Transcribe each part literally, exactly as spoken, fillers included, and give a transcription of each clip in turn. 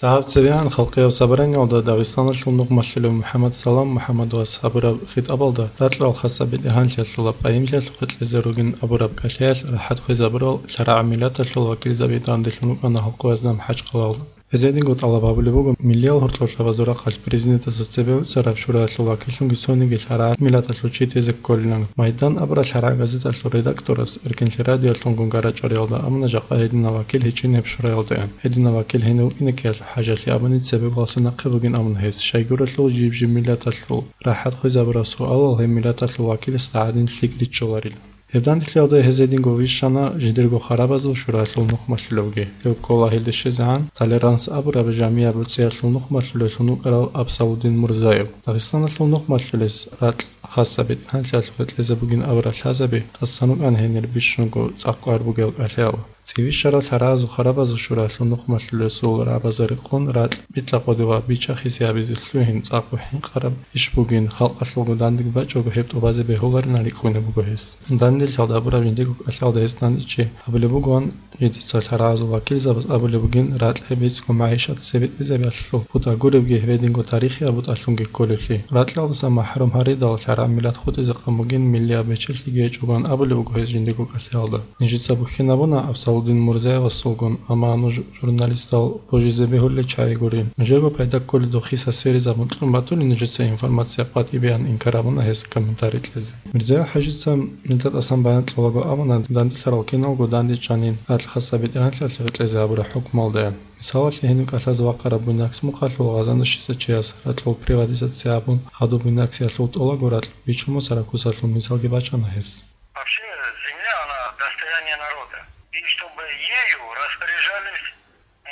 Дагьаб цебегӀан халкъияб собраниялда Дагъистаналъул нухмалъулев МухӀаммад Салам МухӀаммадовас гьабураб хитӀабалда ракьал хасаб бетӀергьанлъиялъул къайимлъиялъухъе кьезе ругин абураб кӀалъиялъ рахӀат хвезабурал лъарагӀаб миллаталъул вакилзаби данделъун рукӀана гьалкъоязда МахӀачхъалаялда. Гьезединго тӀалаб гьабулеб буго миллиял гьоркьоб лъабазул рахъалъ президентасда цебе гӀуцараб шуралъул вакиллъунги цониги лъарагӀаб миллаталъул чи тезе кколилан. Майдан абураб лъарагӀаб газеталъул редакторас Эркинлъи радиоялъунгун гарачӀвариялда амуна жакъа гьединав вакил гьечӀинеб шуралда ян. Гьединав вакил гьенив вукӀинеккиялъул хӀажалъи абуни цебе гьалса нахъе бугин амуна гьес, щайгурелъул жиб-жиб миллаталъул рахӀат хвезабураб суалал гьеб миллаталъул вакиласда гӀадин лъикӀ риччоларила. Гьеб данделъиялда гьез гьединго вищана жидерго харабазул шуралъул нухмалъулевги. Гьев ккола гьелде щвезегӀан «Толеранс» абураб жамияб гӀуцӀиялъул нухмалъулевлъун вукӀарав Абсалудин Мурзаев. Дагъистаналъул нухмалъулес ракь хасаб бетӀергьанлъиялъухъе кьезе бугин абурал лъазаби тӀасан рукӀана гьенир бищунго цӀакъ кӀвар бугел кӀалъиял. ЦӀибищарал лъарагӀазул харабазул шуралъул нухмалъулесул рагӀабазда рекъон ракь битӀа къоде ва бичахизе гьабизе лъугьин цӀакъго хӀинкъараб иш бугин, халкъалъулго дандеги бачӀого гьеб тӀубазе бегьуларин рикӀкӀунеб буго гьес. Данделъиялда абураб жиндирго кӀалъиялда гьес дандечӀи гьабулеб бугоан, жидеца лъарагӀазул вакилзабаз абулеб бугин ракь гьеб бицго магӀишат цебетӀезабиялъул бутӀа гуребги гьебединго тарихияб бутӀалъунги кколеблъи. Ракьалдаса махӀрум гьаридал лъарагӀаб миллат хутӀизе къан бугин миллияб бечелъиги гьечӀогоан абулеб буго гьес жиндирго кӀалъиялда. Нижеца бухьинабуна Абсалудин Мурзаевасулгун, амма нуж журналистал божизе бегьулел чагӀи гурин. Нужерго пайда кколеб духъиса сверизабун кьун батуни нужеца информация къватӀибеян инкар гьабуна гьес комментарий кьезе. Мирзаев ХӀажица нилда тӀасан баян кьолаго абуна, данделъарал киналго дандечӀанин ракь хасаб бетӀергьанлъиялъухъе кьезе гьабураб хӀукмалдаян. Мисалалъе, гьениб кӀалъазе вахъараб буйнакс мухъалъул гъазанущица чияс ракьул приватизация гьабун, хадуб буйнаксиялъул тӀолаго ракь бичун босараб кусалъул мисалги бачӀана гьес. Вообще, земля, она достояние народа. И чтобы ею распоряжались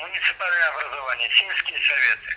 муниципальные образования, сельские советы.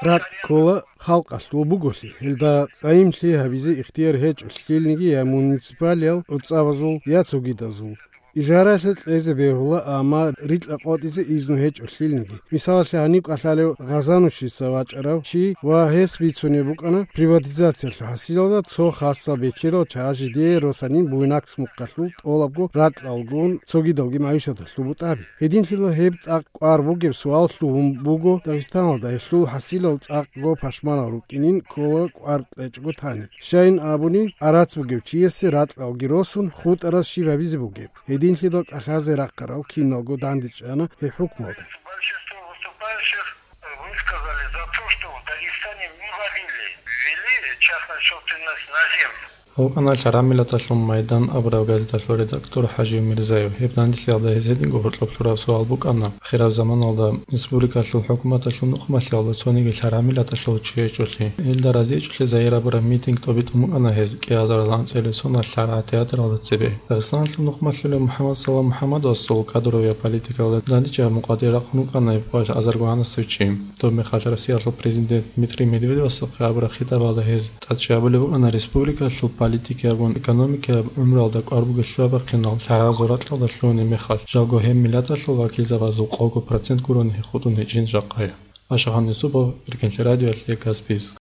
Ракь ккола халкъалъул буголъи, гьелда къайимлъи гьабизе ихтияр гьечӀо лъилниги я муниципалиял гӀуцӀабазул, я цогидазул. Ижараялъе кьезе бегьула, амма рикьа къотӀизе изну гьечӀо лъилниги. Мисалалъе, гьаниб кӀалъалев гъазанущица вачӀарав чи ва гьес бицунеб букӀана приватизациялъул хӀасилалда цо хасаб бечедал чагӀаз жидее росанин буйнакс мухъалъул тӀолабго ракьалгун цогидалги магӀишаталъул бутӀаби. Гьединлъидал гьеб цӀакъ кӀвар бугеб суал лъугьун буго Дагъистаналда, гьелъул хӀасилал цӀакъго пашманал рукӀинин ккола кӀвар кьечӀого тани. Щайин абуни, гӀарац бугев чиясе ракьалги росун хутӀараз щиб гьабизе бугеб? Гьединлъидал кӀалъазе рахъарал киналго дандечӀана гьеб хӀукмалда. Большинство выступающих высказали за то, что в Дагестане не вводили, ввели частную собственность на землю. ВукӀана лъарагӀаб миллаталъул Майдан абураб газеталъул редактор ХӀажи Мирзаев. Гьеб данделъиялда гьез гьединго гьоркьоб лъураб суал букӀана: ахираб заманалда республикалъул хӀукуматалъул нухмалъиялда цониги лъарагӀаб миллаталъул чи гьечӀолъи. Гьелда разиячӀолъи загьир абураб митинг тӀобитӀун букӀана гьез кӀиазарилан цӀелесуна лъарагӀаб театралда цебе. Дагъистаналъул нухмалъулев МухӀаммад Салам МухӀаммадовасул кадровая политикалда дандечӀеб мукъадир рахъун вукӀана гьеб къоялъ азарго гьанасев чи. Доб мехалъ Россиялъул президент Дмитрий Медведевасухъе абураб хитӀабалда гьез тӀад чӀабулеб букӀана республикалъул политикиябгун экономикияб гӀумруялда кӀвар бугелъул абахъинал лъарагӀазул ракьалда лъугьунеб мехалъ, жалго гьеб миллаталъул вакилзабазул къого процент гурони хутӀун гьечӀин жакъая. Ашахан Юсупов, Эркинлъи радиоялъе Каспийск.